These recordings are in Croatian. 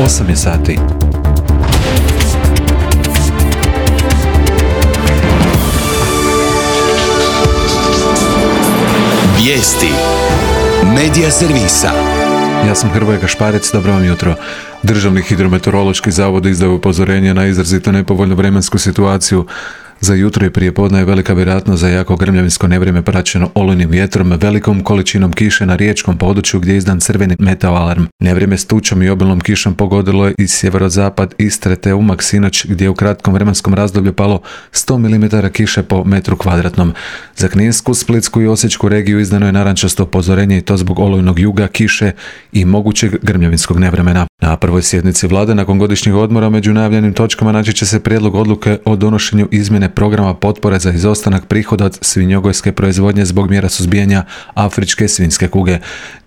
8 je sati. Vijesti Medija servisa. Ja sam Hrvoje Gašparec, dobro vam jutro. Državni hidrometeorološki zavod izdao upozorenje na izrazito nepovoljnu vremensku situaciju. Za jutro i prijepodne je velika vjerojatnost za jako grmljavinsko nevrijeme praćeno olujnim vjetrom, velikom količinom kiše na riječkom području gdje je izdan crveni meteo alarm. Nevrijeme s tučom i obilnom kišom pogodilo je i sjeverozapad Istre te Umag sinoć gdje je u kratkom vremenskom razdoblju palo 100 mm kiše po metru kvadratnom. Za Kninsku, Splitsku i Osječku regiju izdano je narančasto upozorenje i to zbog olujnog juga, kiše i mogućeg grmljavinskog nevremena. Na prvoj sjednici vlade nakon godišnjeg odmora među najavljenim točkama naći će se prijedlog odluke o donošenju izmjene programa potpore za izostanak prihoda od svinjogojske proizvodnje zbog mjera suzbijanja afričke svinjske kuge.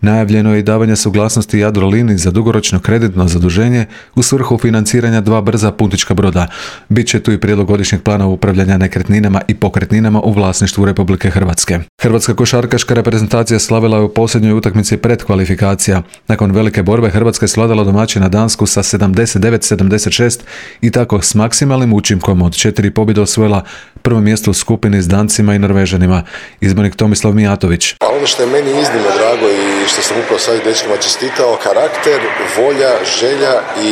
Najavljeno je i davanje suglasnosti Jadroliniji za dugoročno kreditno zaduženje u svrhu financiranja 2 brza putnička broda. Biće tu i prijedlog godišnjeg plana upravljanja nekretninama i pokretninama u vlasništvu Republike Hrvatske. Hrvatska košarkaška reprezentacija slavila je u posljednjoj utakmici predkvalifikacija. Nakon velike borbe Hrvatska je svladala domaćina Dansku sa 79-76 i tako s maksimalnim učinkom od 4 pobjede osvojila prvo mjesto u skupini s Dancima i Norvežanima. Izbornik Tomislav Mijatović. Ono što je meni iznimno drago i što sam upravo sad dečkima čestitao, karakter, volja, želja i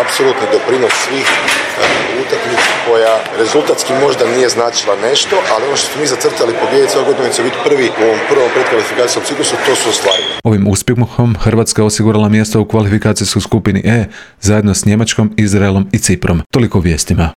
apsolutni doprinos svih utakmica koja rezultatski možda nije značila nešto, ali ono što smo mi zacrtali pobijediti ove godine će biti prvi u ovom prvom predkvalifikacijskom ciklusu, to su ostvarili. Ovim uspjehom Hrvatska je osigurala mjesto u kvalifikacijskoj skupini E zajedno s Njemačkom, Izraelom i Ciprom. Toliko u vijestima.